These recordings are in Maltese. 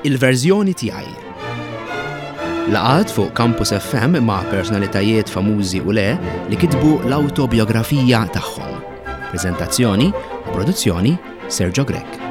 Il-verżjoni tiegħi. Laqgħat fuq Campus FM ma' personalitajiet famużi u le li kitbu l-awtobiografija tagħhom. Preżentazzjoni u produzzjoni Sergio Grech.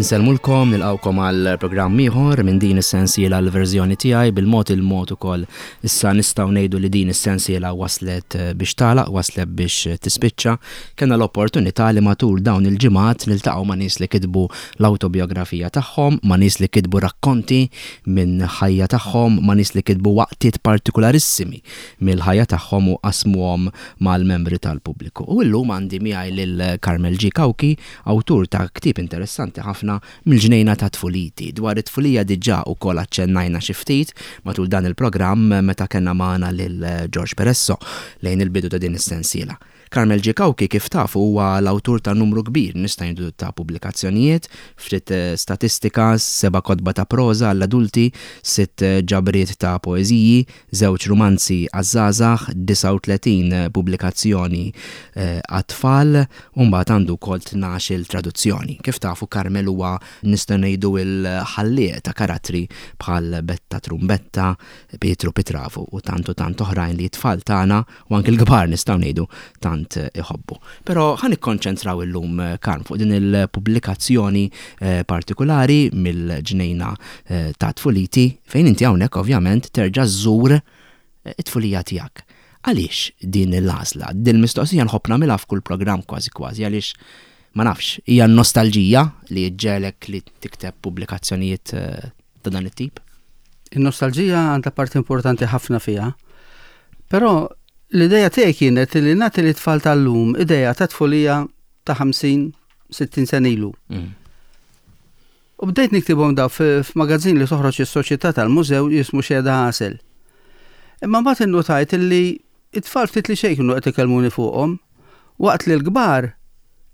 Insellmulkom, nilqgħukom għal programm ieħor minn din is-sensiela l-verżjoni tiegħi bil-mod il-mod ukoll issa nistgħu ngħidu li din is-sensiela waslet eh, biex tagħlaq, waslet biex tispiċċa. Kellna l-opportunità li matul dawn il-ġimgħat niltaqgħu ma' nies li kitbu l-awtobiografija tagħhom, ma' nies li kitbu rakkonti minn ħajja tagħhom, ma' nies li kitbu waqtiet partikularissimi mill-ħajja tagħhom u qasmuhom mal-membri tal-pubbliku. U llum għandi miegħi lil Carmel G. Cauchi, awtur ta' ktieb interessanti ħafna Mill-ġnejna ta' tfuliti. Dwar it-tfulija diġà ukoll aċċennajna xi ftit matul dan il-programm meta kellna magħna lil George Peresso lejn il-bidu ta' din is-sensiela. Carmel G. Cauchi kif tafu huwa l-awtur ta' numru kbir nista' ngħidu ta' pubblikazzjonijiet, ftit statistika, seba' kotba ta' proża għall-adulti, sitt ġabriet ta' poeżiji, żewġ rumanzi għaż-żgħażagħ, 39 pubblikazzjoni għat-tfal u mbagħad għandu wkoll 12-il traduzzjoni. Kif tafu Carmel huwa nistgħu ngħidu l-ħallieq ta' karattri bħal Betta Trumbetta, Pietru Pitravu u tant u tant oħrajn li t-tfal tagħna u anki l-kbar nistgħu ngħidu tant iħobbu. Però ħa nikkonċentraw illum Karm fuq din il-pubblikazzjoni eh, partikulari mill-ġnejna eh, ta' tfuliti fejn inti hawnhekk ovvjament terġa' żżur eh, it-tfulija tiegħek. Għaliex din l-għażla? Din mistoqsija nħobb nagħmilha f'kull programm kważi kważi għaliex ma nafx, hija n-nostalġija li ġġegħlek li tikteb pubblikazzjonijiet ta' dan it-tip? In-nostalġija għandha parti importanti ħafna fiha. Però l-ideja tiegħi kienet li nagħti li tfal tal-lum ideja ta' tfulija ta' 50, 60 sen ilu. Mm. U bdejt niktibhom daw f'magazzin li toħroġ is-Soċjetà tal-Mużew jismu Xehda Għasel. Imma mbagħad innutajt li it-tfal ftit li xejn kienu qed ikellmuni fuqhom, waqt li l-kbar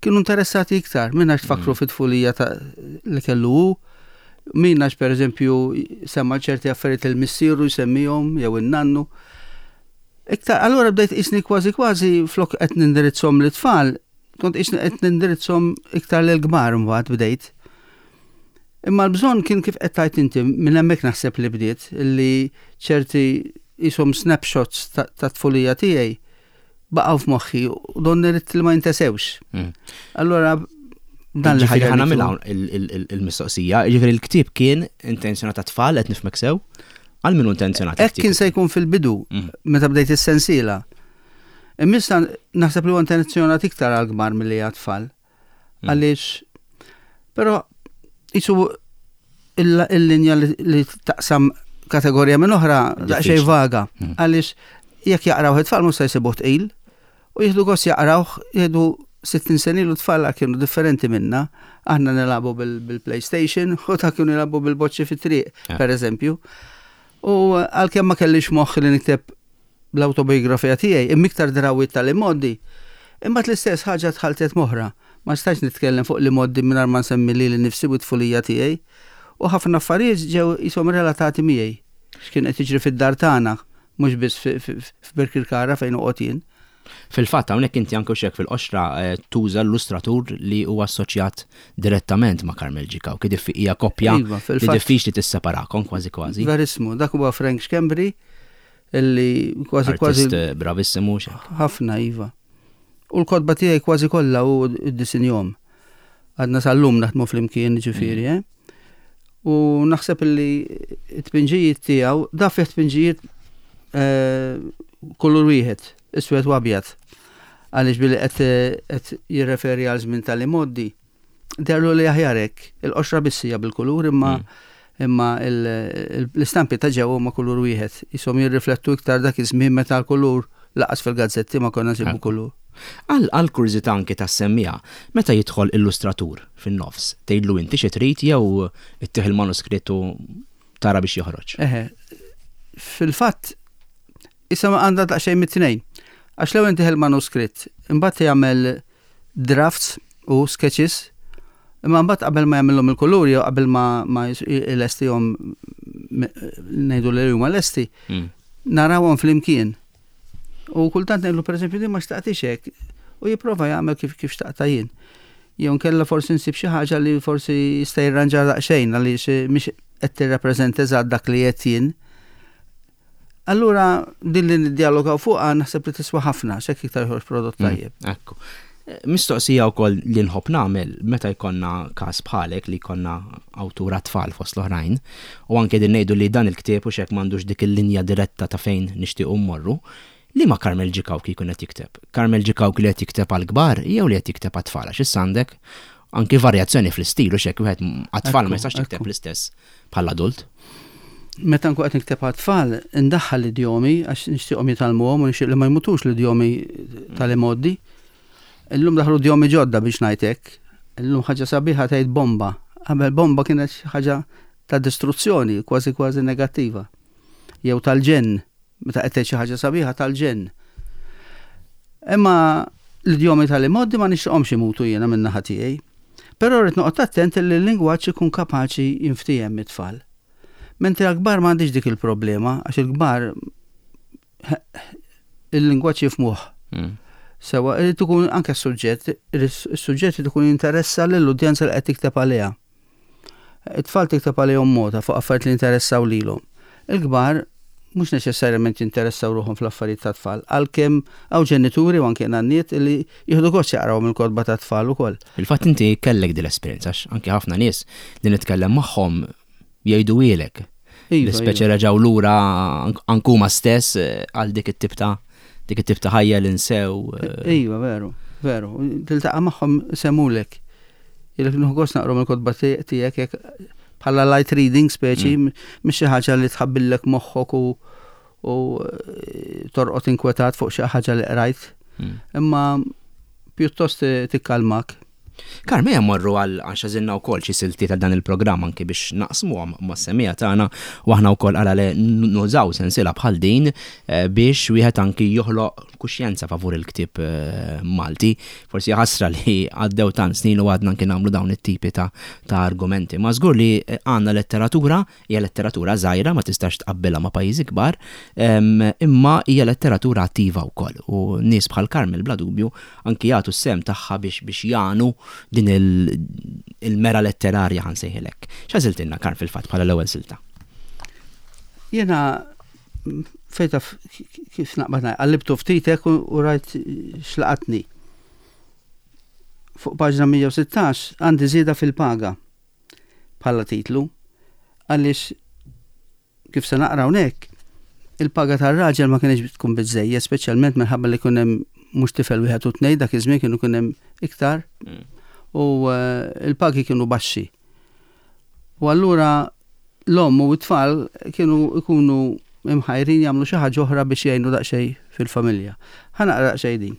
kienu interessati iktar minn għax tfakru mm. fit-tfulija li kellu hu, min għax pereżempju semma ċerti affarijiet il-missieru jsemmihom jew in-nannu. Iktar, allura bdejt isni kważi kważi flok qed nindirizzhom lit-tfal, kont isni qed nindirizzhom iktar lil kbar mbagħad bdejt. Imma l-bżonn kien kif qed tgħid inti, minn hemmhekk naħseb li bdiet, li ċerti qishom snapshots ta' tfulija tiegħi baqgħu f'moħħi u donni ridt li ma jintesewx. Mm. Allura dan li ħaġa nagħmilha il-mistoqsija, jiġifieri l-ktieb kien intenzjonat tfal qed nifhmek sew, għal min intenzjonat. Hekk kien se jkun fil-bidu mm. meta bdejt is-sensiela. Imma naħseb li huwa intenzjonat iktar għal kbar milli għat-tfal. Mm. Għaliex, però jisu il-linja li taqsam kategorija minn oħra daqsxejn vaga. Mm. Għaliex jekk jaqraw it-tfal mhux se jsibuh tqil u jieħdu gost jaqrawh jieħdu 60 sena ilu tfal kienu differenti minna. Aħna nilagħbu bil-PlayStation u ta' kienu jilagħbu bil-boċċi fit-triq, eh. per eżempju. U għalkemm ma kellix moħħ li nikteb l-awtobiografija tiegħi, imma iktar drawwiet tal-imgħoddi. Imbagħad l-istess ħaġa tħalltet m'oħra. Ma stajtx nitkellem fuq l-imgħoddi mingħajr ma nsemmi lili nnifsi u t-tfulija tiegħi. U ħafna affarijiet ġew qishom relatati miegħi. X'kien qed jiġri fid-dar tagħna, mhux biss f'Birkirkara fejn noqgħod jien. Fil-fatt, hawnhekk inti anke hekk fil-qoxra eh, tuża l-illustratur li huwa assoċjat direttament ma' Carmel Ġikaw, kif hija koppja iva, li diffiċli tisseparakom kważi kważi. Verismu, dak huwa Frank Schembri illi kważi kważi. Eh, bravissimu Ħafna iva. U l-kotba tiegħi kważi kollha u d-disinjom. Għadna sal-lum naħdmu flimkien ġifieri, mm. eh? U naħseb illi t-tpinġijiet tiegħu, da fih tpinġijiet eh, kulur wieħed, iswed u abjad. Għaliex billi qed jirreferi għal żmien tal-imoddi, Derlu li aħjar hekk. Il-qoxra biss hija bil-kulur imma mm. imma l-istampi ta' ġewwa huma kulur wieħed. Isom jirriflettu iktar dak iż-żmien meta l-kulur laqas fil-gazzetti ma konna nsibu kulur. Għal kurżità anki tas-semmiegħa, meta jidħol illustratur fin-nofs, tgħidlu inti xi trid jew ittih il-manuskritt u tara biex joħroġ? Eħe, fil-fatt, issa għandha daqsxejn mit-tnejn. Għax l-ewwel intih il-manuskritt, imbagħad jagħmel drafts u sketches, imma mbagħad qabel ma jagħmilhom il-kulur jew qabel ma, ma jlestihom ngħidu li huma lesti, mm. narawhom flimkien. U kultant ngħidlu pereżempju din ma xtaqtix hekk. U jipprova jagħmel kif kif xtaqta jien. Jew nkella forsi nsib xi ħaġa li forsi jista' jirranġa daqsxejn għaliex eh, mhix qed tirrappreżenta eżatt dak li qed jien. Allura din li niddialogaw fuqha naħseb li tiswa ħafna x'hekk iktar joħroġ prodott mm, tajjeb. Ekku. Mistoqsija wkoll li nħobb nagħmel meta jkollna każ bħalek li jkollna awtur għat-tfal fost l-oħrajn, u anke din ngħidu li dan il-ktieb u x'hekk m'għandux dik il-linja diretta ta' fejn nixtiequ mmorru, liema Carmel Gicauchi jkun qed jikteb? Carmel Gicauchi li qed jikteb għall-kbar jew li qed jikteb għat-tfal? Għax issa għandek anki varjazzjoni fl-istil u x'hekk wieħed għat-tfal ma jistax jikteb l-istess bħall-adult. Meta nkun qed nikteb għat-tfal, indaħħal l-idjomi għax nixtieqhom jitgħallmuhom u nixtieq li ma jmutux l-idjomi tal-imgħoddi. Illum daħlu idjomi ġodda biex ngħid hekk. Illum ħaġa sabiħa tgħid bomba. Qabel bomba kienet xi ħaġa ta' distruzzjoni, kważi kważi negattiva. Jew tal-ġenn, meta qed tgħid xi ħaġa sabiħa tal-ġenn. Imma l-idjomi tal-imgħoddi ma nixtieqhomx imutu jiena min-naħa tiegħi. Però rrid noqgħod attent li l-lingwaġġ ikun kapaċi jinftiehem mit-tfal. Mentri għall-kbar m'għandix dik il-problema, għax il-kbar il-lingwaġġ jifmuh. Mm. Sewa, irid ikun anke s-suġġett, is-suġġett irid ikun jinteressa lill-udjenza li qed tikteb għaliha. It-tfal tikteb għalihom mota fuq affarijiet li jinteressaw lilhom. Il-kbar mhux neċessarjament jinteressaw ruħhom fl-affarijiet tat-tfal, għalkemm hawn ġenituri u anke nanniet li jieħdu gost jaqraw mill-kotba tat-tfal ukoll. Fil-fatt inti kellek din l-esperjenza għax anke ħafna nies li nitkellem magħhom jgħiduhielek. Iva, li speċi iva. reġgħu lura anke huma stess eh, għal dik it-tip ta' dik it-tip ta' ħajja li nsew. Eh. Iva, veru, veru. Tiltaqa' magħhom semulek. Ilek nieħu gost naqrom il-kotba tiegħek jekk bħala light reading speċi mm. mhix xi ħaġa li tħabbillek moħħok u u eh, torqod inkwetat fuq xi ħaġa li qrajt. Mm. Imma pjuttost tikkalmak. Karm, ejja mmorru għal għax għażilna wkoll xi siltiet għal dan il-programm anki biex naqsmuhom mas-semmiegħa tagħna u aħna wkoll għala le nużaw sensiela bħal din eh, biex wieħed anki joħloq kuxjenza favur il-ktieb eh, Malti. Forsi ħasra li għaddew tant snin u għadna anki nagħmlu dawn it-tipi ta', ta argumenti. Ma żgur li eh, għandna letteratura Hija letteratura żgħira, ma tistax tqabbilha ma' pajjiżi kbar, imma hija letteratura attiva wkoll u nies bħal Carmel bla dubju anki jagħtu s-sehem tagħha biex biex jagħnu din il-mera letterarja ħa nsejħilek. X'għażiltilna Karm fil-fatt bħala l-ewwel silta? Jiena fejn taf kif naqbad ngħid, qallibtu ftit hekk u rajt x'laqatni. Fuq paġna 116 għandi żieda fil-paga. bħala titlu, għaliex kif se naqra hawnhekk, il-paga tar-raġel ma kienx tkun biżejjed, speċjalment minħabba li kien hemm mhux tifel wieħed u tnejn dak iż-żmien kienu kien hemm iktar mm. u eh, il-pagi kienu baxxi. U allura l-omm u t-tfal kienu ikunu imħajrin jagħmlu xi ħaġa oħra biex jgħinu daqsxejn fil-familja. Ħa naqra daqsxejn din.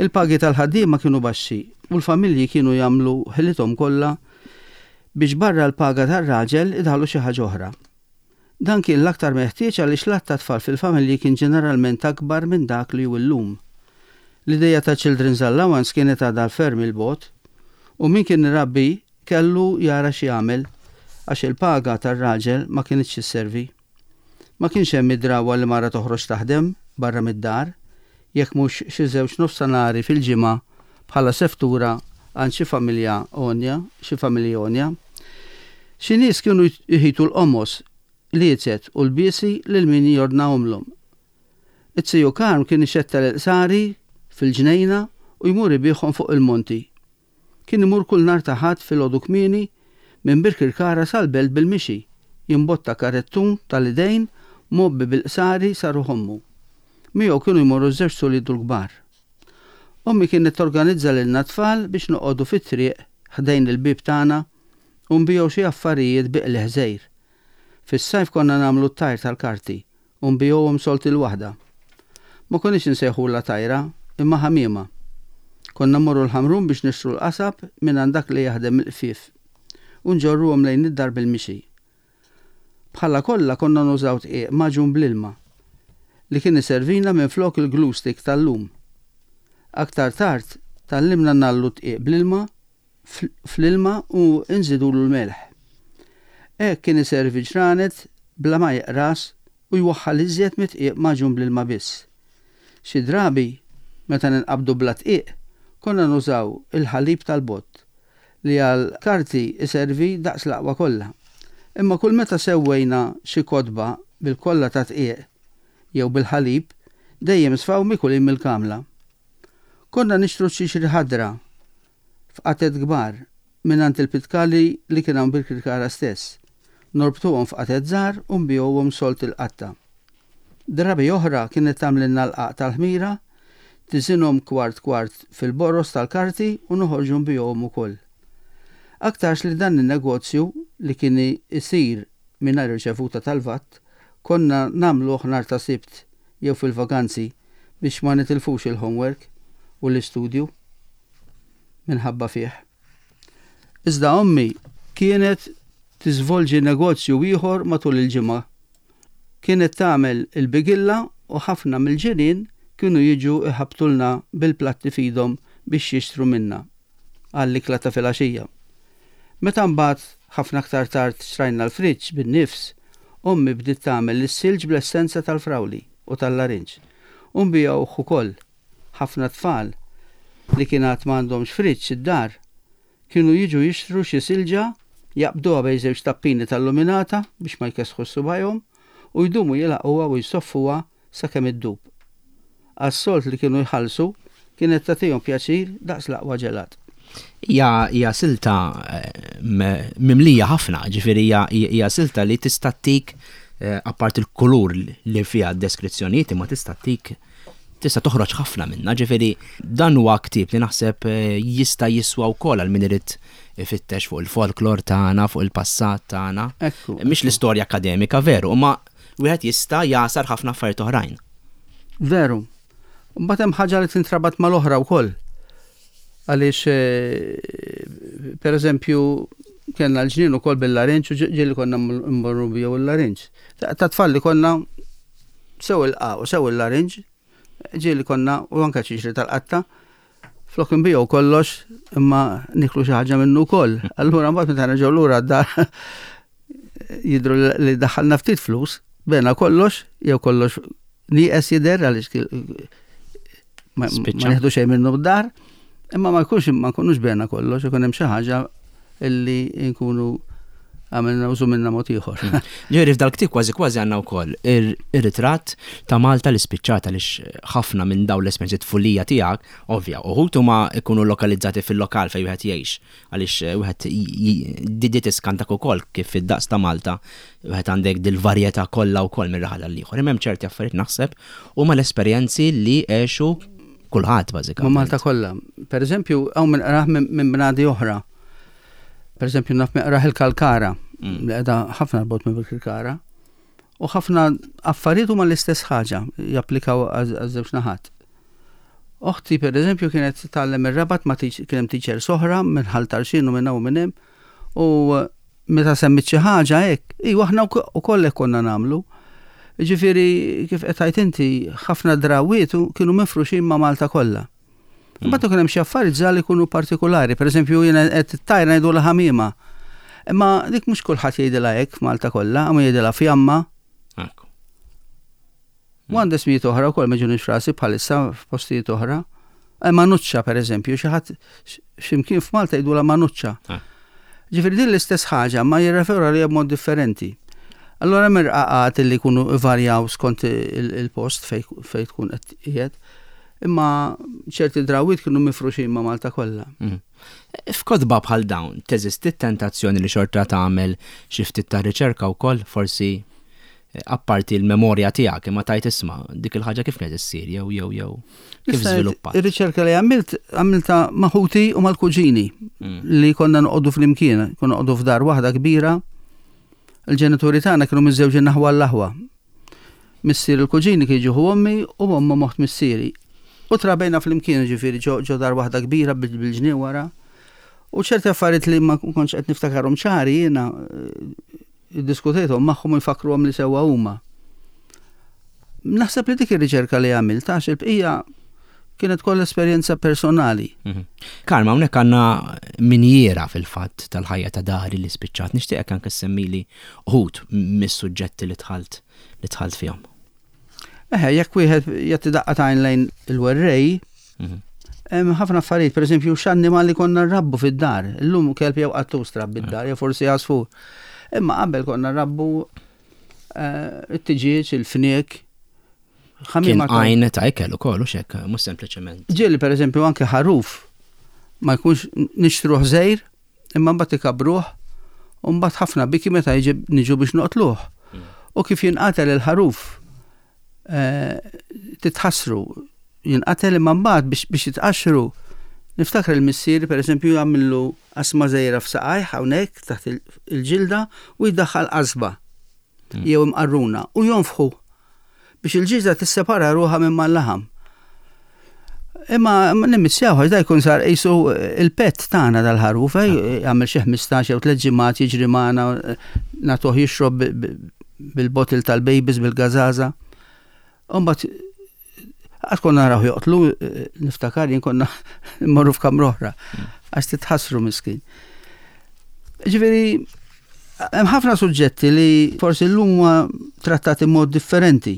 Il-pagi tal-ħaddiema kienu baxxi u l-familji kienu jagħmlu ħilithom kollha biex barra l-paga tar-raġel idaħħlu xi ħaġa oħra. Dan kien l-aktar meħtieġ għaliex l-għadd ta' tfal fil-familji kien ġeneralment akbar minn dak li hu llum. L-ideja ta' children's allowance kienet għadha ferm 'il bogħod u min kien irabbi kellu jara x'jagħmel għax il-paga tar-raġel ma kinitx isservi. Ma kienx hemm id-drawwa li mara toħroġ taħdem barra mid-dar, jekk mhux xi żewġ nofsanhari fil-ġimgħa bħala seftura għand xi familja għonja, xi familji għonja. Xi nies kienu jħitu l-qomos, liecet u lbiesi lil min jordnahomlhom. Iz-ziju Karm kien ixettel il-qsari fil-ġnejna u jmur ibiegħhom fuq il-monti. Kien imur kull nhar ta' Ħadd filgħodu kmieni minn Birkirkara sal-Belt bil-mixi, jimbotta karettun tal-idejn mgħobbi bil-qsari sa ruħ ommu. Miegħu kienu jmorru ż-żewġt uliedu l-kbar. Ommi kienet torganizza lilna t-tfal biex noqogħdu fit-triq ħdejn il-bieb tagħna u nbigħu xi affarijiet bi qligħ żgħir. Fis-sajf konna nagħmlu t-tajr tal-karti u nbigħuhom sold il-waħda. Ma konniex insejħulha tajra, imma ħamiema. Konna mmorru l-Ħamrun biex nixtru l-qasab mingħand dak li jaħdem il-qfief u nġorruhom lejn id-dar bil-mixi. Bħala kollha konna nużaw dqiq magħġun bl-ilma, li kien iservina minflok il-glue stick tal-lum. Aktar tard tgħallimna ngħallu d-dqiq bl-ilma fl-ilma u nżidulu l-melħ. Hekk kien iservi ġranet bla ma jeqras u jwaħħal iżjed mid-dqiq magħġun bl-ilma biss. Xi drabi, Meta ninqabdu bla dqiq, konna nużaw il-ħalib tal-bott, li għal karti iservi daqs l-aqwa kollha. Imma kull meta sewwejna xi kotba bil-kolla ta' dqiq jew bil-ħalib, dejjem sfaw mikulin mill-kamla. Konna nixtru ċ-ċiċri ħadra f'qatet kbar mingħand il-pitkali li kien hawn Birkirkara stess, norbtuhom f'qatet żgħar u nbigħuhom sold il-qatta. Drabi oħra kienet tagħmlilna l-qagħaq tal-ħmira, tiżinhom kwart kwart fil-boroż tal-karti u noħorġu nbigħuhom ukoll. Aktarx li dan in-negozju, li kien isir mingħajr irċevuta tal-VAT, konna nagħmluh nhar ta' Sibt jew fil-vaganzi biex ma nitilfux il-homework u l-istudju minħabba fih. Iżda ommi kienet tiżvolġi negozju ieħor matul il-ġimgħa. Kienet tagħmel il-bigilla u ħafna mill-ġirien kienu jiġu jħabbtulna bil-platti f'idhom biex jixtru minna għall-ikla ta' filgħaxija. Meta mbagħad ħafna aktar tard xtrajna l-friġġ bin-nifs, ommi bdiet tagħmel is-silġ bl-essenza tal-frawli u tal-larinġ u nbigħuh ukoll. Ħafna tfal li kien għad m'għandhomx friġġ id-dar kienu jiġu jixtru xi silġa, jaqbduha bejn żewġ tappini tal-luminata biex ma jkessħux subgħajhom u jdumu jilgħaquha u jsoffuha sakemm iddub. Għas-sold li kienu jħallsu kienet tagħtihom pjaċir daqs l-aqwa ġelat. Hija hija silta mimlija ħafna, ġifieri hija hija silta li tista' ttik apparti l-kulur li fiha d-deskrizzjonijiet imma tista' ttik tista' toħroġ ħafna minnha, ġifieri dan huwa ktieb li naħseb jista' jiswa wkoll għal min irid ifittex fuq il-folklor tagħna, fuq il-passat tagħna. Mhix l-istorja akademika veru, imma wieħed jista' jagħsar ħafna affarijiet oħrajn. Veru. Mbagħad hemm ħaġa li tintrabat mal-oħra wkoll. Għaliex eh, per eżempju kellna l-ġnien ukoll bil-larinġ u ġieli konna mmorru biegħu l-larinġ. Ta' tfal li konna sew il-qa u sew il-larinġ, ġieli konna u anke ċiċri tal-qatta, flok nbiegħu kollox imma niklu xi ħaġa minnu wkoll. Allura mbagħad meta nerġgħu lura d-dar jidru li daħħalna ftit flus, bena kollox jew kollox nieqes jidher għaliex ma nieħdu xejn minnu d-dar, imma ma jkunx ma nkunux bena kollox, ikun hemm xi ħaġa illi nkunu għamilna użu minna mod ieħor. Hmm. Ġifieri f'dal-ktieb kważi kważi għandna wkoll ir-ritratt ta' Malta li spiċċat għaliex ħafna minn dawn l-esperjenzi tfulija tiegħek, ovvja, uħud huma jkunu lokalizzati fil-lokal fejn wieħed jgħix. Għaliex wieħed di tiskantak ukoll kif fid-daqs ta' Malta wieħed għandek dil-varjetà kollha wkoll minn raħal għal ieħor. Imma hemm ċerti affarijiet naħseb huma l-esperjenzi li għexu kulħadd bażikament. Ma' Malta kollha. Per eżempju, hawn min qrah minn bnadi oħra. Per eżempju, naf min qrah il-Kalkara, mm. li qiegħda ħafna 'l bogħod minn Birkirkara. U ħafna affarijiet huma l-istess ħaġa, japplikaw għaż-żewġ naħat. Oħti per eżempju kienet tgħallem ir-Rabat ma' kien hemm teachers oħra minn Ħal Tarxien u minn hawn u minn hemm u meta semmit xi ħaġa hekk, iva aħna wkoll hekk konna nagħmlu. Ġifieri kif qed tgħid inti, ħafna drawwiet kienu mifruxin ma' Malta kollha. Imbagħad ikun hemm xi affarijiet żgħar li jkunu partikulari, pereżempju jiena qed it-tajra ngħidulha ħamiema. Imma dik mhux kulħadd jgħidilha hekk f'Malta kollha, hawn jgħidilha fjamma. U għandi ismijiet oħra wkoll ma ġunix frasi bħalissa f'postijiet oħra. Eh, manuċċa pereżempju, xi ħadd x'imkien f'Malta jgħidulha manuċċa. Ah. Ġifieri din l-istess ħaġa ma jirreferu għaliha b'mod differenti. Allora hemm irqaqat li jkunu varjaw skont il-post fejn tkun qed qiegħed. Imma ċerti drawwiet kienu mifruxin ma' Malta kollha. Mm. F'kotba bħal dawn teżisti t-tentazzjoni li xorta tagħmel xi ftit ta' riċerka wkoll forsi apparti l-memorja tiegħek imma tajt isma' dik il-ħaġa kif kienet issir jew jew jew kif żviluppat. Ir-riċerka li għamilt għamilta ma' ħuti u mal-kuġini mm. li konna noqogħdu flimkien, konna noqogħdu f'dar waħda kbira. Il-ġenituri tagħna kienu miżżewġin naħwa l-aħwa. Missier il-kuġini kien ġieħu ommi u omma moħt missieri. U trabejna flimkien ġifieri ġo dar waħda kbira bil-ġnien wara. U ċerti affarijiet li ma kontx qed niftakarhom ċari jiena eh, Iddiskutejthom magħhom u jfakkruhom li sewwa huma. Naħseb li dik ir-riċerka li għamilt għax il-bqija kienet kollha esperjenza personali. Mhm. Karma, hawnhekk għandna minjiera fil-fatt tal-ħajja ta' dari li spiċċat. Nixtieqek anke semmili uħud mis-suġġetti li dħalt li dħalt fihom. Eħe, jekk wieħed jagħti daqqa t'għajn lejn il-werrej, Hemm ħafna affarijiet, pereżempju x'annimal li konna nrabbu fid-dar. Illum kelb jew qattus trabbi d-dar, jew forsi għasfur. Imma qabel konna nrabbu eh, it-tiġieġ, il-fniek. Kien għajn ta' ikel ukoll u xek, mhux sempliċement. Ġieli pereżempju anke ħaruf ma jkunx nixtruh żejr, imma mbagħad ikabruh u mbagħad ħafna biki meta jiġi niġu biex noqtluh. U kif jinqatel il-ħaruf eh, titħassru, jinqatel imma mbagħad biex biex jitqaxxru. Niftakar il-missier pereżempju jagħmillu qasma żgħira f'saqajh hawnhekk taħt il-ġilda u jdaħħal qasba hmm. jew imqarruna u jonfħu biex il-ġilda tissepara ruħha minn mal-laħam. Imma nimmissjaw għax da jkun sar qisu il-pet tagħna dal-ħaruf, eh, jagħmel xi 15 jew tliet ġimgħat jiġri magħna nagħtuh jixrob bil-bottle tal-babies bil-gażaża. U mbagħad qatt konna naraw joqtlu, eh, niftakar jien konna mmorru f'kamra oħra għax titħassru miskin. Ġifieri hemm ħafna suġġetti li forsi llum huma trattati mod differenti.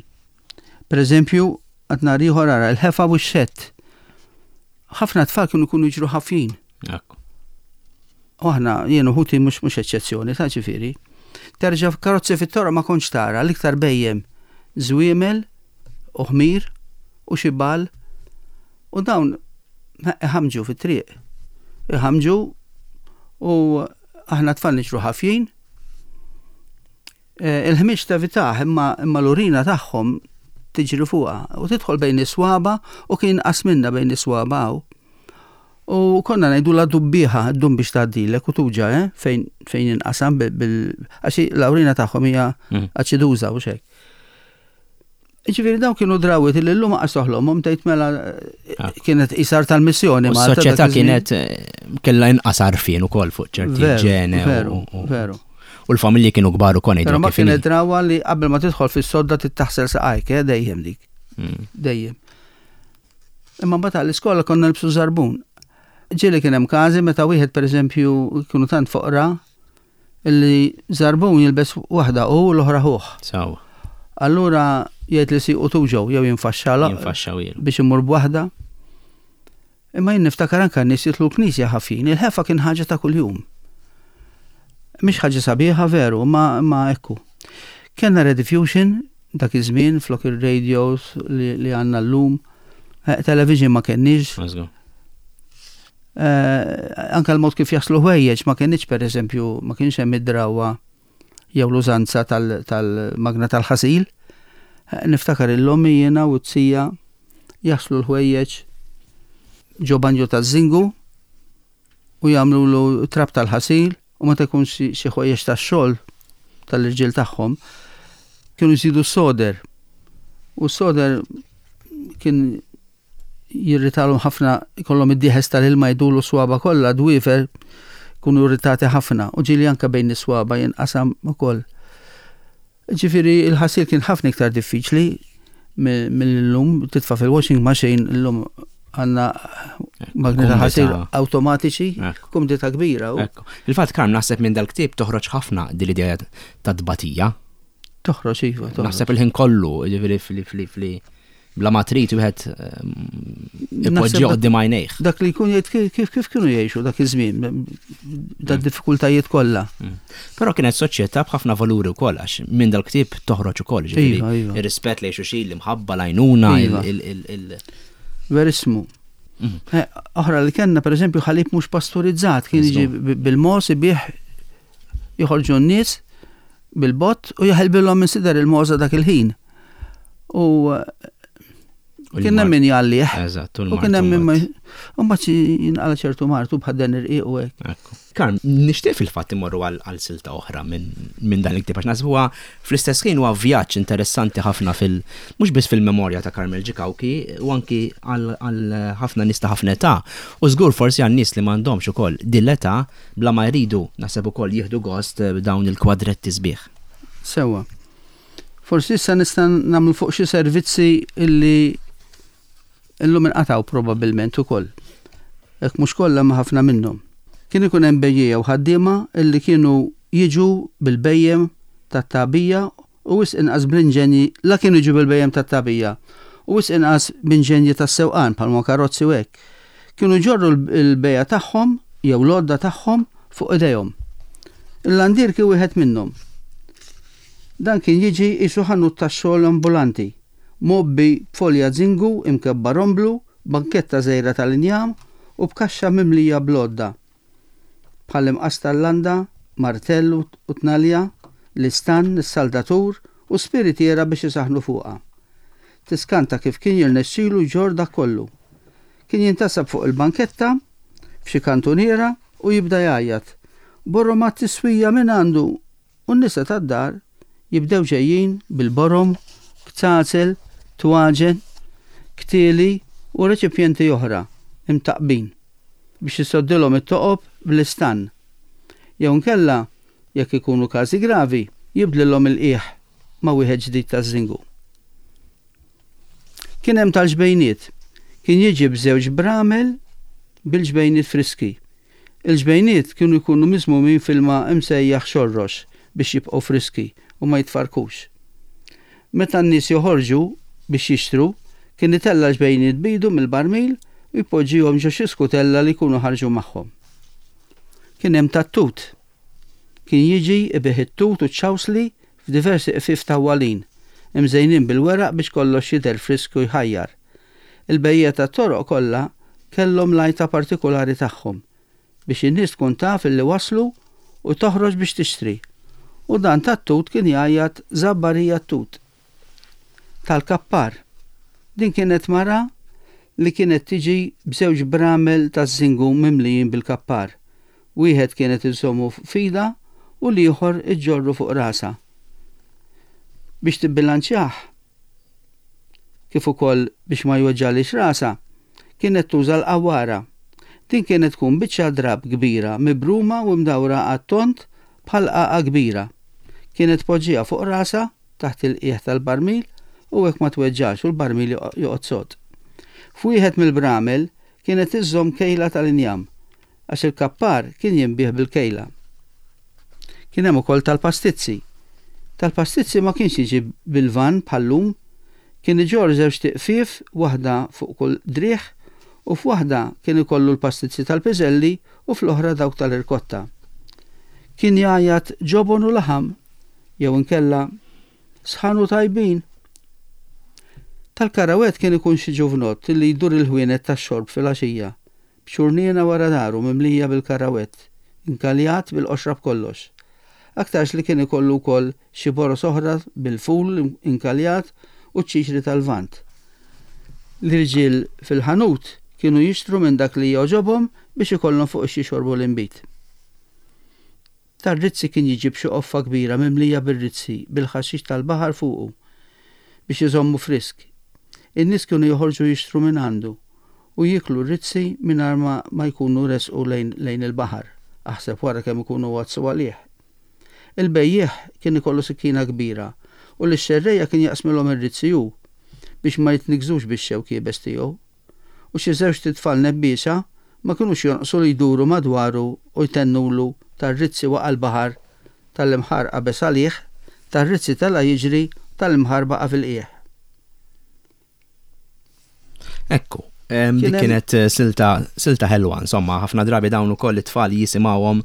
Per eżempju, għad nhar ieħor ara l-ħefa u x-xett. Ħafna tfal kienu jkunu jiġru ħafjin. U aħna jien u ħuti mhux mhux eċċezzjoni ta' ġifieri. Terġa' karozzi fit-toroq ma kontx tara l-iktar bejjem żwiemel u ħmir u xi bal u dawn iħamġu fit-triq. Iħamġu u aħna tfal niġru ħafjin Eh, il-ħmieġ tevitah imma imma l-urina tagħhom tiġri fuqha u tidħol bejn is-swaba u kien inqas minna bejn is-swaba hawn. U konna ngħidu la dubbieħa ddum biex tgħaddilek u tuġa, eh, fejn fejn inqasam bil għax l-awrina tagħhom hija mm. aċiduża u xejn. Ġifieri dawn kienu drawwiet li llum qas toħlomhom tgħid mela ah. kienet isar tal-missjoni. Ma s-soċjetà kienet eh, kellha inqas għarfien ukoll fuq ċerti ġene. Veru, veru. U l-familji kienu kbar ukoll Però ma kienet drawa li qabel ma tidħol fis-sodda tittaħsel saqajk, eh, dejjem dik. Mm. Dejjem. Imma mbagħad għall-iskola konna nilbsu żarbun. Ġieli kien hemm każi meta wieħed pereżempju kienu tant foqra Illi żarbun jilbes waħda hu u l-oħra ħuh. Sewwa. Allura jgħid li siequ tuġgħu jew jinfaxxalha. Jinfaxxa wielu. Biex imur b'waħda. Imma jien niftakar anke n-nies jidħlu l-knisja ħafjin. Il-ħefa kien ħaġa ta' kuljum. Mhix ħaġa sabiħa veru, imma imma ekku. Kellna rediffusion dak iż-żmien flok ir-radios li, li għandna llum. Eh, television ma kenniex. Eh, anke l-mod kif jaslu ħwejjeġ ma kienx pereżempju ma kienx hemm id-drawwa jew l-użanza tal-magna tal-ħasil. Eh, niftakar il-lommi jiena u t-sija jaslu l-ħwejjeġ ġo banju taż-żingu u jagħmlu trab tal-ħasil u meta jkun xi ħwejjeġ tax-xogħol tal-irġiel tagħhom kienu jżidu s-soder. U s-soder kien jirritalhom ħafna, ikollhom id-dieħes tal-ilma jdulu s-swaba kollha, dwiefer jkunu irritati ħafna u ġieli anke bejn is-swaba jinqasam ukoll. Ġifieri il-ħasil kien ħafna iktar diffiċli mill-lum titfa' fil-washing machine illum għandna magni ta' ħasil awtomatiċi, kumdità kbira. Il-fatt Karm naħseb minn dal-ktieb toħroġ ħafna din l-idea ta' tbatija. Toħroġ iva. Naħseb il-ħin kollu, ġifieri fli fli fli bla ma trid wieħed ehm, ipoġġi qudiem għajnejh. Dak li jkun jgħid kif kif kienu jgħixu dak iż-żmien, da mm. diffikultajiet kollha. Mm. Però kienet soċjetà b'ħafna valuri wkoll għax minn dal-ktieb toħroġ ukoll, ġifieri iva, iva. ir-rispett lejn xulxin, l-imħabba, l-għajnuna, iva. il Verismu. Mm. Eh, oħra li kellna pereżempju ħalib mhux pasturizzat kien jiġi bil-mos ibih joħorġu n-nies bil-bott u jaħilbilhom minn sider il-mogħża dak il-ħin. U kien hemm min jgħallih. Eżatt, u kien hemm min ma mbagħad jinqala ċertu martu bħal dan irqiq u hekk. Karm, nixtieq fil-fatt imorru għal silta oħra minn dan il-ktieb għax naħseb huwa fl-istess ħin huwa vjaġġ interessanti ħafna fil mhux biss fil-memorja ta' Carmel Ġikawki u anki għal ħafna nies ta' ħafna età u żgur forsi għan nies li m'għandhomx ukoll din l-età Bla ma jridu, naħseb ukoll jieħdu gost b'dawn il-kwadretti sbieħ. Sewwa. Forsi issa nista' nagħmlu fuq xi servizzi illi illum inqatgħu probabbilment ukoll. Hekk mhux kollha imma ħafna minnhom. Kien ikun hemm bejjiegħa u ħaddiema illi kienu jiġu bil-bhejjem tat-tagħbija u wisq inqas bl-inġenji la kienu jiġu bil-bhejjem tat-tagħbija. u wisq inqas b'inġenji tas-sewqan bħalma karozzi u hekk. Kienu jġorru l-bejgħa tagħhom jew l-għodda tagħhom fuq idejhom. Il-landier kien wieħed minnhom. Dan kien jiġi qisu ħanut tax-xogħol ambulanti, mgħobbi b'folja zingu imkebba romblu, banketta żgħira tal-injam u b'kaxxa mimlija bl-għodda, bħal imqass tal-landa, martell u tnalja, l-istann, is-saldatur u spiritiera biex isaħħnu fuqha. Tiskanta kif kien jirnexxilu jġorr dak kollu. Kien jintasab fuq il-banketta, f'xi kantuniera u jibda jgħajjat, Borom għat-tiswija min għandu? U n-nisa tad-dar jibdew ġejjin bil-borom, kzazel, twaġen, ktieli u reċipjenti oħra imtaqqbin biex isoddilhom it-toqob bl-istann. Jew inkella, jekk ikunu każi gravi, jibdlilhom il-qiegħ ma' wieħed ġdid taż-żingu. Kien hemm tal-ġbejniet. Kien jiġi b'żewġ bramel bil-ġbejniet friski. Il-ġbejniet kienu jkunu miżmumin f'ilma msejjaħ xorrox biex jibqgħu friski u ma jitfarrkux. Meta n-nies joħorġu biex jixtru, kien itella' l-ġbejniet b'idu mill-barmil u jpoġġihom ġo xi skutella li jkunu ħarġu magħhom. Kien hemm tat-tut. Kien jiġi jbigħ it-tut u ċ-ċawsli f'diversi qfief tawwalin, imżejnin bil-weraq biex kollox jidher frisk u jħajjar. Il-bejjiegħa tat-toroq kollha kellhom l-għajta partikulari tagħhom biex in-nies tkun taf illi waslu u toħroġ biex tixtri. U dan tat-tut kien jgħajjat Żabbarija t-tut. Tal-kappar. Din kienet mara li kienet tiġi b'żewġ bramel taż-żingu mimlijin bil-kappar. Wieħed kienet iżżommu f'idha u l-ieħor iġġorru fuq rasha. Biex tibbilanċjah, kif ukoll biex ma jweġġagħlhiex rasha, kienet tuża l-qawwara. Din kienet tkun biċċa drapp kbira mibruma u mdawra għat-tond bħal qagħqa kbira. Kienet tpoġġiha fuq rasha taħt il-qiegħ tal-barmil u hekk ma tweġġax u l-barmil joqgħod sod. F'wieħed mill-bramel kienet iżżomm kejla tal-injam għax il-kappar kien jinbiegħ bil-kejla. Kien hemm ukoll tal-pastizzi. Tal-pastizzi ma kienx jiġi bil-vann bħal-lum, kien iġorr żewġt tiqfief waħda fuq kull driegħ u f'waħda kien ikollu l-pastizzi tal-piżelli u fl-oħra dawk tal-irkotta. Kien jgħajjat ġobon u laħam jew inkella sħan u tajbin. Tal-karawett kien ikun xi ġuvnott li jdur il-ħwienet tax-xorb filgħaxija b'ċurniena wara daru mimlija bil-karawett, inkaljat bil-qoxra b'kollox. Aktarx li kien ikollu wkoll xi boroż oħra bil-ful inkaljat u ċ-ċiċri tal-Lvant. L-irġiel fil-ħanut kienu jixtru minn dak li jogħġobhom biex ikollhom fuq ix-xorbu l-inbid. Tar-rizzi kien jiġi b'xi qoffa kbira mimlija bir-rizzi bil-ħaxix tal-baħar fuqu biex iżommu frisk. In-nies kienu joħorġu jixtru mingħandu u jieklu r-rizzi mingħajr ma ma jkunu resqu lejn lejn il-baħar, aħseb wara kemm ikunu għaddsu għalih. Il-bejjiegħ kien ikollu sikkina kbira u lix-xerrejja kien jaqsmilhom ir-rizzi hu biex ma jitniggżux bix-xewk iebes tiegħu. U xi żewġt itfal nebbiexa ma kinux jonqsu li jduru madwaru u jtennulu tar-rizzi waqa' l-baħar, tal-imħar qabeż għalih, tar-rizzi tela' jiġri, tal-imħar baqa' fil-qiegħ. Ekku, dik kienet eh, silta silta ħelwa, insomma, ħafna drabi dawn ukoll it-tfal jisimgħuhom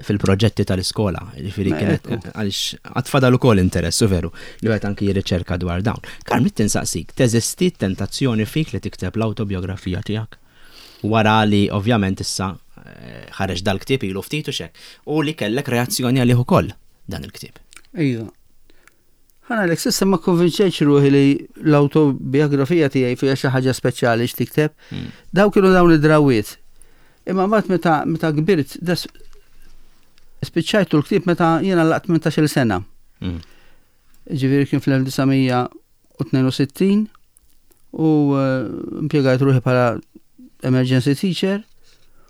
fil-proġetti tal-iskola. Ġifieri kienet għaliex għatfadal ukoll interess, u veru, li wieħed anki jirriċerka dwar dawn. Karm, tinsaqsik, teżisti tentazzjoni fik li tikteb l-awtobiografija tiegħek? Wara li ovvjament issa eh, ħareġ dal-ktieb ilu ftit u xek, u li kellek reazzjoni għalih ukoll dan il-ktieb. Iva. Ħa ngħidlek, s'issa ma kkonvinċejtx ruħi li l-awtobiografija tiegħi fiha xi ħaġa speċjali x'tikteb. Daw kienu dawn id-drawwiet. Imma mbagħad meta meta kbirt des spiċċajtu l-ktieb meta jiena laqt 18-il sena. Ġifieri kien fl-1962 u eh, impjegajt ruħi bħala emergency teacher.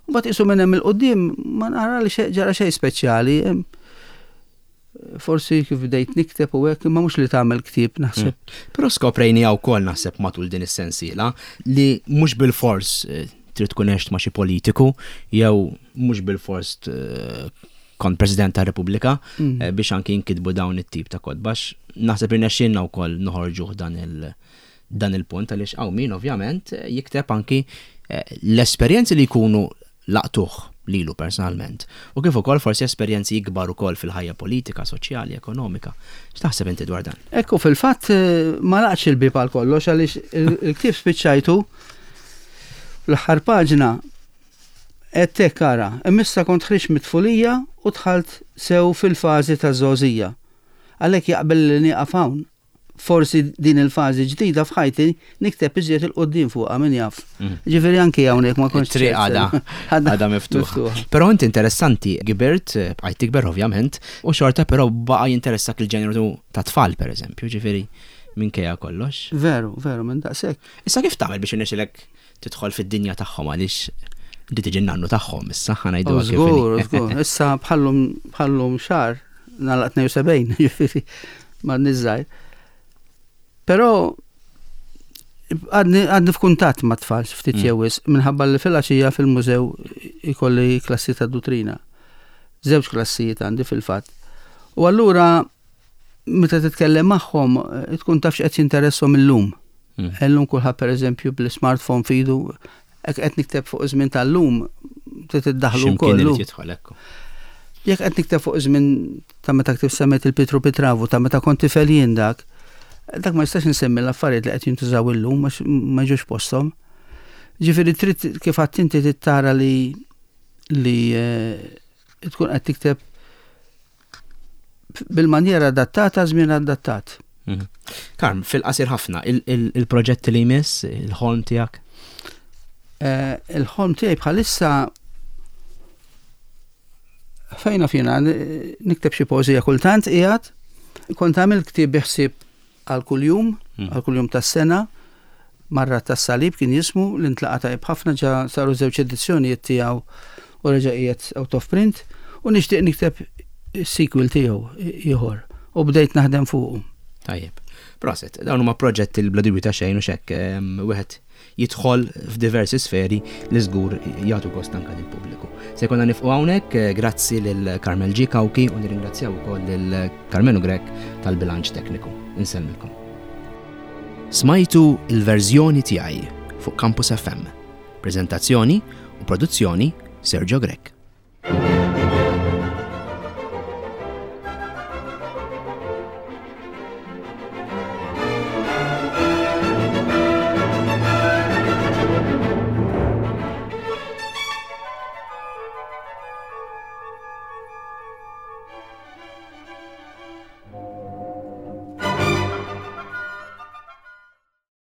U mbagħad qisu minn hemm il-qudiem ma nara li ġara xejn speċjali. Forsi kif bdejt nikteb u hekk, imma mhux li tagħmel ktieb naħseb. Mm. Però skoprejni wkoll naħseb matul din is-sensiela li mhux bil-fors eh, trid tkun għext ma' xi politiku jew mhux bil-fors eh, kont President ta' Repubblika mm. eh, biex anki jinkitbu dawn it-tip ta' kotbax. Naħseb irnexxielna wkoll noħorġuh dan il- dan il-punt għaliex hawn min ovvjament jikteb anki eh, l-esperjenzi li jkunu laqtuh lilu personalment u kif ukoll forsi esperjenzi ikbar ukoll fil-ħajja politika, soċjali, ekonomika. X'taħseb inti dwar dan? Ekku fil-fatt eh, ma laqtx il-bieb għal kollox għaliex il-ktieb spiċċajtu l-aħħar paġna qed hekk ara, imma kont ħriġt mit-tfulija u dħalt sew fil-fażi taż-żgħożija. Għalhekk jaqbel li nieqaf hawn forsi din il-fażi ġdida f'ħajti nikteb iżjed 'il quddiem fuqha min jaf. Mm. Ġifieri anki hawnhekk ma kontx. Triq għada għada miftuħa. Però inti interessanti kibirt, bqajt tikber ovvjament, u xorta però baqa' jinteressak il-ġeneru ta' tfal pereżempju, ġifieri minkejja kollox. Veru, veru, minn daqshekk. Issa kif tagħmel biex irnexxilek tidħol fid-dinja tagħhom għaliex inti tiġi nannu tagħhom issa ħa ngħidu oh, Żgur, żgur. Issa bħallum bħallum xahar nagħlaq 72, ġifieri ma niżżajr. Però għadni f'kuntatt ma' tfal ftit mm. jewis minħabba li fil-għaxija fil-mużew ikolli klassi ta' dutrina. Żewġ klassijiet għandi fil-fatt. U allura meta titkellem magħhom eh, tkun taf x'qed jinteresshom illum. Mm. Illum kulħadd pereżempju bl-smartphone fidu, hekk qed nikteb fuq iż-żmien tal-lum trid iddaħlu wkoll. Jekk qed nikteb fuq iż-żmien ta' meta ktib semmet il-Pitru Pitravu, ta' meta kont tifel jien dak, dak ma jistax insemmi l-affarijiet li qed jintużaw illum għax ma ġux posthom. Ġifieri trid kif għadt inti tara li li eh, tkun qed tikteb bil-manjera adattata żmien adattat. Mhm. Karm, fil-qasir ħafna, il-proġett li jmiss, il-ħolm tiegħek? Eh, il-ħolm tiegħi bħalissa fejna fina nikteb xi poeżija kultant qiegħed, kont għamil ktieb biħsieb għal kuljum, hmm. għal kuljum tas-sena, Marra tas-Salib kien jismu li ntlaqa' tajjeb ħafna ġa saru żewġ edizzjonijiet tiegħu u reġa' qiegħed out of print u nixtieq nikteb sequel tiegħu ieħor u bdejt naħdem fuqu. Tajjeb. Proset, dawn huma proġetti li bla dubju ta' xejn u xekk wieħed jidħol f'diversi sferi li żgur jagħtu gost anke lill-pubbliku. Se jkollna nifqu hawnhekk, eh, grazzi lil Carmel G. Cauchi u nirringrazzjaw ukoll lil Carmenu Grech tal-bilanċ tekniku. Insellmilkom. Smajtu il-verżjoni tiegħi fuq Campus FM. Preżentazzjoni u produzzjoni Sergio Grech.